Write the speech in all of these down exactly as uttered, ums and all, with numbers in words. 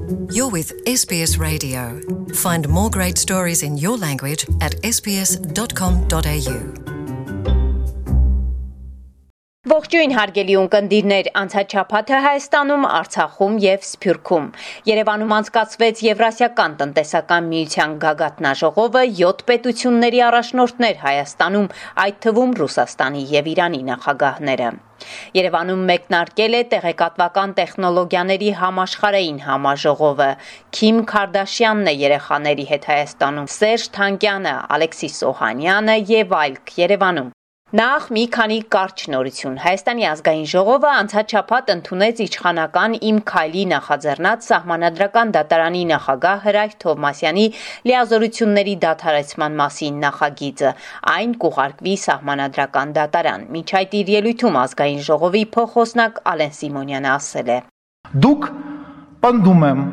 You're with S B S Radio. Find more great stories in your language at s b s dot com dot a u. Ողջույն հարգելի ունկնդիրներ, անցաչափաթը Հայաստանում, Արցախում եւ Սփյուռքում։ Երևանում անցկացվեց Եվրասիական տնտեսական միության գագաթնաժողովը, յոթ պետությունների առաջնորդներ Հայաստանում, այդ թվում Ռուսաստանի եւ Իրանի նախագահները։ Երևանում մեկնարկել է տեղեկատվական տեխնոլոգիաների համաշխարհային համաժողովը։ Քիմ Քարդաշյանն է երեխաների հետ Հայաստանում, Սերժ Թանկյանը, Ալեքսիս Օհանյանը եւ այլք Երևանում։ Նախ մի քանի կարճ նորություն։ Հայաստանի ազգային ժողովը անցաչափած ընդունեց իշխանական Իմ քայլի նախաձեռնած Սահմանադրական դատարանի նախագահ Հրայր Թովմասյանի լիազորությունների դադարեցման մասին նախագիծը։ Այն կուղարկվի Սահմանադրական դատարան։ Մինչ այդ իր ելույթում ազգային ժողովի փոխոսնակ Ալեն Սիմոնյանը ասել է. Դուք պնդում եմ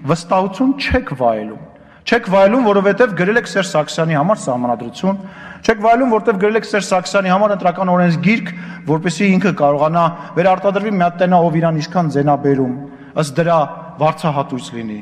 վստահություն չեք վայելում։ Չեք վայելում, որովհետև գրել եք Սերժ Սարգսյանի համար սահմանադրություն, չեք վայելում, որովհետև գրել եք Սերժ Սարգսյանի համար ընտրական օրենսգիրք, որպեսզի ինքը կարողանա վերարտադրվի մի հատ տենա, ով իրան ինչքան ձենաբերում, ըստ դրա վարձահատույց լինի։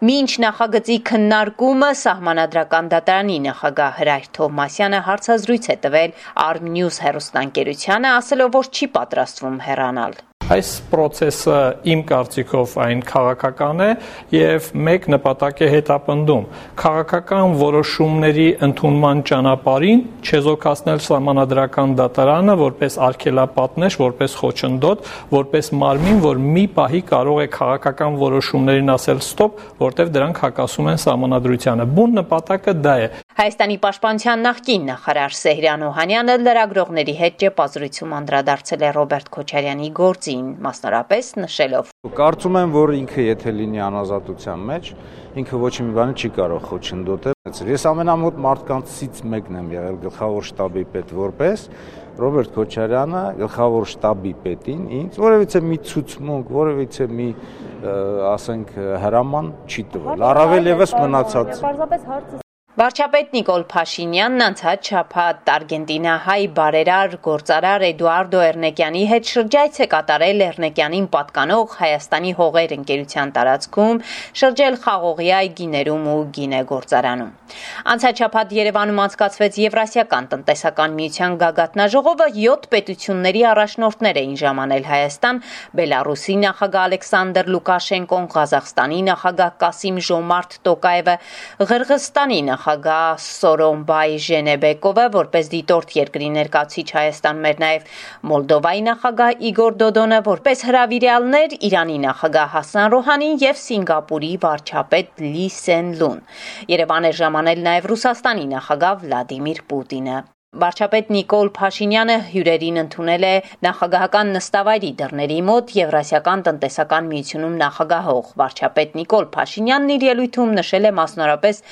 Մինչ նախագծի քննարկումը Սահմանադրական դատարանի նախագահ Հրայր Թովմասյանը հարցազրույց է տվել Arm-News հեռուստաընկերությանը, ասելով, որ չի պատրաստվում հեռանալ։ Այս process-ը իմ կարծիքով այն քաղաքական է եւ մեկ նպատակ է հետապնդում քաղաքական որոշումների ընդունման ճանապարհին չեզոքացնել Սահմանադրական դատարանը որպես արգելապատնեշ, որպես խոչընդոտ, որպես մարմին, որ մի պահի կարող է քաղաքական որոշումներին ասել ստոպ, որտեղ դրանք հակասում են Սահմանադրությանը։ Բուն նպատակը դա է։ Հայաստանի պաշտպանության նախկին նախարար Սեհրան Օհանյանը լրագրողների հետ ճեպազրույցում անդրադարձել է Ռոբերտ Քոչարյանի գործին, մասնավորապես նշելով. Կարծում եմ, որ ինքը եթե լինի անազատության մեջ, ինքը ոչ մի բանի չի կարող խոչընդոտել։ Ես ամենամոտ մարդկանցից մեկն եմ եղել գլխավոր շտաբի պետ որպես Ռոբերտ Քոչարյանը գլխավոր շտաբի պետին ինձ որևիցե մի ցուցմունք, որևիցե մի ասենք հրաման չի տվել։ Առավել եւս մնացած Վարչապետ Նիկոլ Փաշինյանն անցած շաբաթ արգենտինահայ բարերար գործարար Էդուարդո Էրնեկյանի հետ շրջայց է կատարել Էրնեկյանին պատկանող Հայաստանի հողեր ընկերության տարածքում, շրջել խաղողի այգիներում ու գինեգործարանում։ Անցած շաբաթ Երևանում անցկացվեց Եվրասիական տնտեսական միության գագաթնաժողովը, յոթ պետությունների առաջնորդներ էին ժամանել Հայաստան, Բելարուսի նախագահ Ալեքսանդր Լուկաշենկոն, Ղազախստանի նախագահ Կասիմ Ժոմարթ Տոկաևը, Ղրղըզստանի նախագահ Սորոնբայ Ժենեբեկովը, որպես դիտորդ երկրի ներկայացուցիչ Հայաստանում էր նաև Մոլդովայի նախագահ Իգոր Դոդոնը, որպես հրավիրյալներ Իրանի նախագահ Հասան Ռոհանին եւ Սինգապուրի վարչապետ Լի Սեն Լուն։ Երևան է ժամանել նաև Ռուսաստանի նախագահ Վլադիմիր Պուտինը։ Վարչապետ Նիկոլ Փաշինյանը հյուրերին ընդունել է նախագահական նստավայրի դռների մոտ Եվրասիական տնտեսական միությունում նախագահող։ Վարչապետ Նիկոլ Փաշինյանն իր ելույթում նշել է մասնավորապես,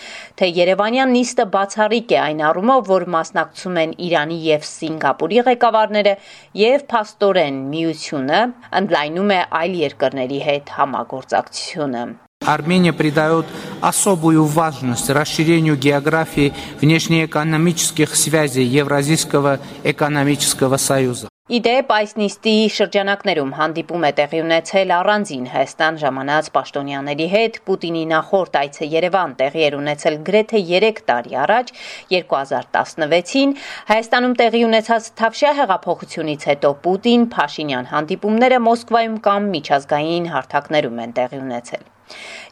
թե Երևանյան նիստը բացառիկ է այն առումով, որ մասնակցում են Իրանի եւ Սինգապուրի ղեկավարները եւ փաստորեն միությունը ընդլայնում է այլ երկրների հետ համագործակցությունը։ Армения придает особую важность расширению географии внешнеэкономических связей Евразийского экономического союза. Իդեպ այս նիստի շրջանակներում հանդիպում է տեղի ունեցել առանձին Հայաստան ժամանած պաշտոնյաների հետ։ Պուտինի նախորդ այցը Երևան տեղի էր ունեցել գրեթե երեք տարի առաջ, երկու հազար տասնվեցին, Հայաստանում տեղի ունեցած Թավշյա հեղափոխությունից հետո Պուտին Փաշինյան հանդիպումները Մոսկվայում կամ միջազգային հարթակներում են տեղի ունեցել։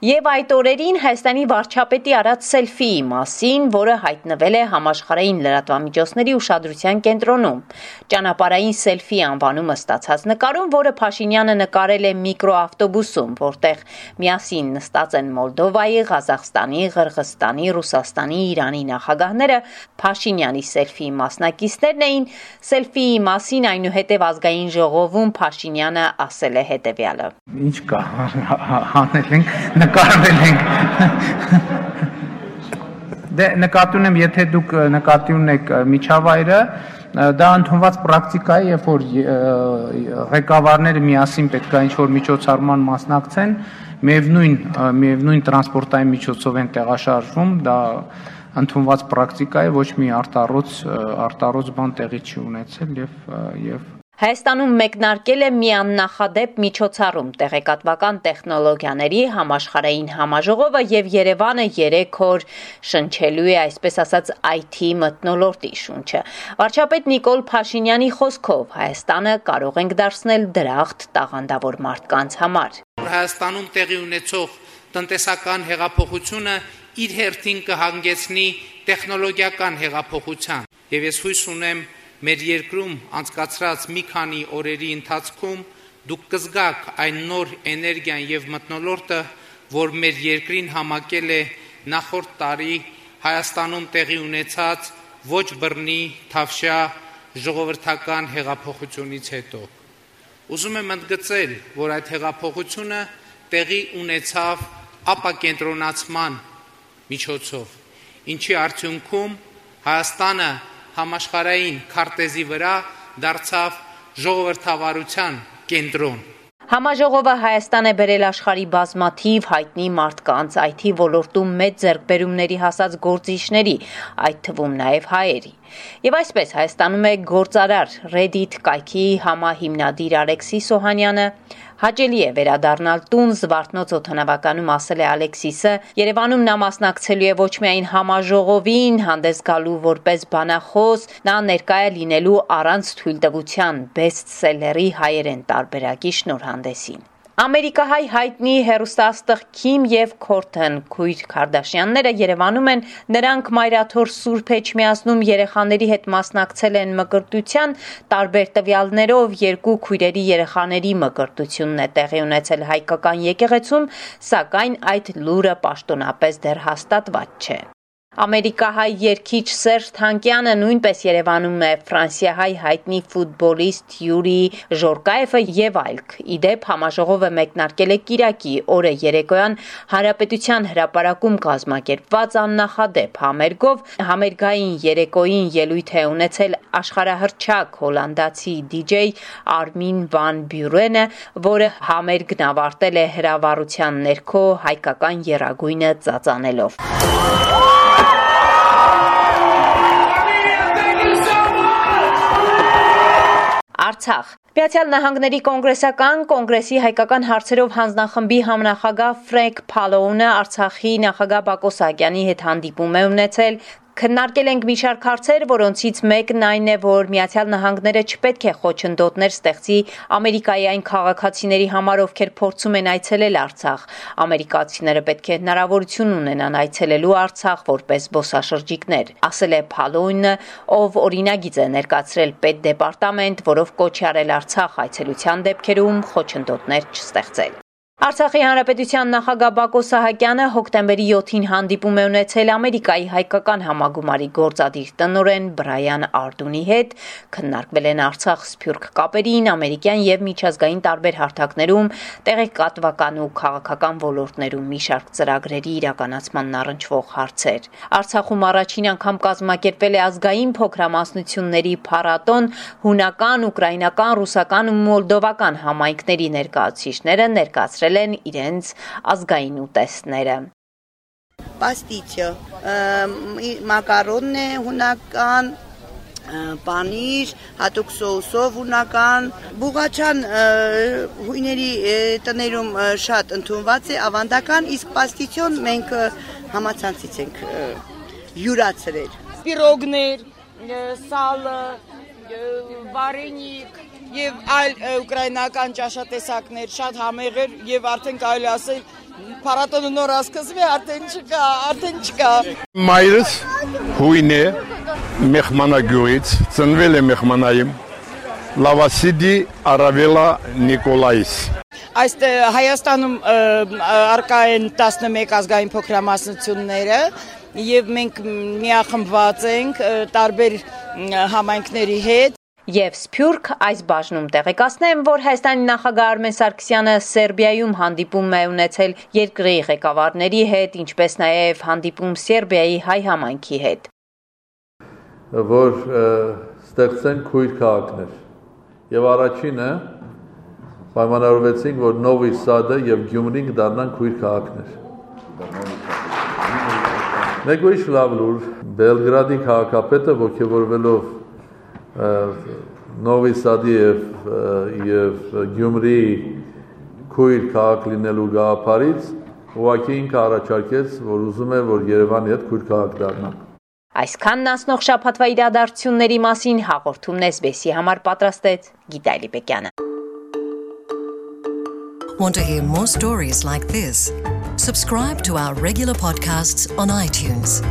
Եվ այդ օրերին Հայաստանի վարչապետի արած սելֆիի մասին, որը հայտնվել է համաշխարհային լրատվամիջոցների ուշադրության կենտրոնում։ Ճանապարհային սելֆի անվանումը ստացած նկարում, որը Փաշինյանը նկարել է միկրոավտոբուսում, որտեղ միասին նստած են Մոլդովայի, Ղազախստանի, Ղրղըզստանի, Ռուսաստանի, Իրանի նախագահները, Փաշինյանի սելֆիի մասնակիցներն էին։ Սելֆիի մասին այնուհետև ազգային ժողովում Փաշինյանը ասել է հետևյալը. Ինչ կա, հանել ենք, նկարվել ենք։ Դե նկատի ունեմ, եթե դուք նկատի ունեք միջավայրը, դա ընդունված պրակտիկա է, երբ որ ղեկավարները միասին պետք է ինչ-որ միջոցառման մասնակցեն, միևնույն միևնույն տրանսպորտային միջոցով են տեղաշարժվում, դա ընդունված պրակտիկա է, ոչ մի արտառոց արտառոց բան տեղի չի ունեցել եւ եւ Հայաստանում մեկնարկել է մի աննախադեպ միջոցառում տեղեկատվական տեխնոլոգիաների համաշխարհային համաժողովը եւ Երևանը երեք օր շնչելու է այսպես ասած այ թի մթնոլորտի շունչը։ Վարչապետ Նիկոլ Փաշինյանի խոսքով Հայաստանը կարող ենք դարձնել դրախտ տաղանդավոր մարդկանց համար։ Հայաստանում տեղի ունեցող տնտեսական հեղափոխությունը իր հերթին կհանգեցնի տեխնոլոգիական հեղափոխության եւ ես հույս ունեմ մեր երկրում անցկացրած մի քանի օրերի ընթացքում դուք կզգաք այն նոր էներգիան եւ մթնոլորտը, որ մեր երկրին համակել է նախորդ տարի Հայաստանում տեղի ունեցած ոչ բռնի թավշյա ժողովրդական հեղափոխությունից հետո։ Ուզում եմ ընդգծել, որ այդ հեղափոխությունը տեղի ունեցավ ապակենտրոնացման միջոցով, ինչի արդյունքում Հայաստանը համաշխարհային քարտեզի վրա դարձավ ժողովրդավարության կենտրոն։ Համաժողովը Հայաստան է բերել աշխարհի բազմաթիվ հայտնի մարդկանց, այ թի ոլորտում մեծ ձեռքբերումների հասած գործիչների, այդ թվում նաև հայերի։ Եվ այսպես Հայաստանում է գործարար Reddit կայքի համահիմնադիր Ալեքսիս Օհանյանը, հաճելի է վերադառնալ տուն Զվարթնոց օդանավականում, ասել է Ալեքսիսը, Երևանում նա մասնակցելու է ոչ միայն համաժողովին, հանդես գալու որպես բանախոս, նա ներկայ է լինելու առանց թույլտվության բեսթսելերի հայերեն տարբերակի շնորհանդեսին։ Ամերիկահայ հայտնի հեռուստաաստղ Քիմ եւ Քորթեն քույր Քարդաշյանները Երևանում են, նրանք մայրաթոր Սուրբ Էջմիածնում երեխաների հետ մասնակցել են մկրտության, տարբեր տվյալներով երկու քույրերի երեխաների մկրտությունն է տեղի ունեցել հայկական եկեղեցում, սակայն այդ լուրը պաշտոնապես դեռ հաստատված չէ։ Ամերիկահայ երգիչ Սերժ Թանկյանը նույնպես Երևանում է, ֆրանսիահայ հայտնի ֆուտբոլիստ Յուրի Ժորկաևը եւ այլք։ Իդեպ համաժողովը մեկնարկել է կիրակի օրը երեկոյան Հանրապետության հրապարակում կազմակերպված աննախադեպ համերգով, համերգային երեկոյին ելույթ է ունեցել աշխարհահռչակ հոլանդացի դիջեյ Արմին վան Բյուրենը, որը համերգն ավարտել է հրավառության ներքո հայկական եռագույնը ծածանելով։ Արցախ Միացյալ Նահանգների կոնգրեսական կոնգրեսի հայկական հարցերով հանձնախմբի համնախագահ Ֆրենկ Փալոունը Արցախի նախագահ Բակո Սահակյանի հետ հանդիպում է ունեցել։ Քննարկել ենք մի շարք հարցեր, որոնցից մեկն այն է, որ Միացյալ Նահանգները չպետք է խոչընդոտներ ստեղծի Ամերիկայի այն քաղաքացիների համար, ովքեր փորձում են այցելել Արցախ։ Ամերիկացիները պետք է հնարավորություն ունենան այցելելու Արցախ որպես զբոսաշրջիկներ, ասել է Փալոունը, ով օրինագիծ է ներկայացրել պետդեպարտամենտ, որով կոչ է արել Արցախ այցելության դեպքերում խոչընդոտներ չստեղծել։ Արցախի հանրապետության նախագահ Բակո Սահակյանը հոկտեմբերի յոթին հանդիպում է ունեցել Ամերիկայի հայկական համագումարի գործադիր տնօրեն Բրայան Արդունի հետ, քննարկվել են Արցախ սփյուռք կապերին, ամերիկյան եւ միջազգային տարբեր հարթակներում, տեղեկատվական ու քաղաքական ոլորտներում մի շարք ծրագրերի իրականացմանն առնչվող հարցեր։ Արցախում առաջին անգամ կազմակերպվել է ազգային փոքրամասնությունների փառատոն, հունական, ուկրաինական, ռուսական ու մոլդովական համայնքների ներկայացուցիչները ներկայացրել են իրենց ազգային ուտեստները։ Պաստիչը, մակարոնն է հունական, պանիր, հատուկ սոուսով հունական, բուղաչան հույների տներում շատ ընդունված է, ավանդական, իսկ պաստիչոն մենք համացանցից ենք յուրացրել։ Պիրոգներ, սալը, վարենիք, եւ այլ ուկրաինական ճաշատեսակներ շատ համեղեր եւ արդեն կարելի ասել փառատոնը նոր ասկզվի արդեն չկա, արդեն չկա։ Մայրս հույն է մեխմանագյուից, ծնվել է մեխմանայում, Լավասիդի Արավելա Նիկոլայիս։ Այստեղ Հայաստանում արկա են տասնմեկ ազգային փոքրամասնությունները եւ մենք միախմբված ենք տարբեր համայնքների հետ։ Եվ Սփյուռք այս բաժնում տեղեկացնեմ, որ Հայաստանի նախագահ Արմեն Սարգսյանը Սերբիայում հանդիպում է ունեցել երկրի ղեկավարների հետ, ինչպես նաև հանդիպում Սերբիայի հայ համայնքի հետ։ Որ ստեղծեն քույր քաղաքներ։ Եվ առաջինը պայմանավորվեցինք, որ Նովի Սադը եւ Գյումրին դառնան քույր քաղաքներ։ Մեկ ուրիշ լավ լուր, Բելգրադի քաղաքապետը ողջևորվելով Նովի Սադի եւ եւ Գյումրի քույր քաղաք լինելու գաղափարից ուղղակի ինքը առաջարկեց, որ ուզում է, որ Երևանի հետ քույր քաղաք դառնա։ Այսքանն անցնող շաբաթվա իրադարձությունների մասին հաղորդումն էս բի էսի համար պատրաստեց Գիտալի Բեկյանը։ Want to hear more stories like this? Subscribe to our regular podcasts on iTunes.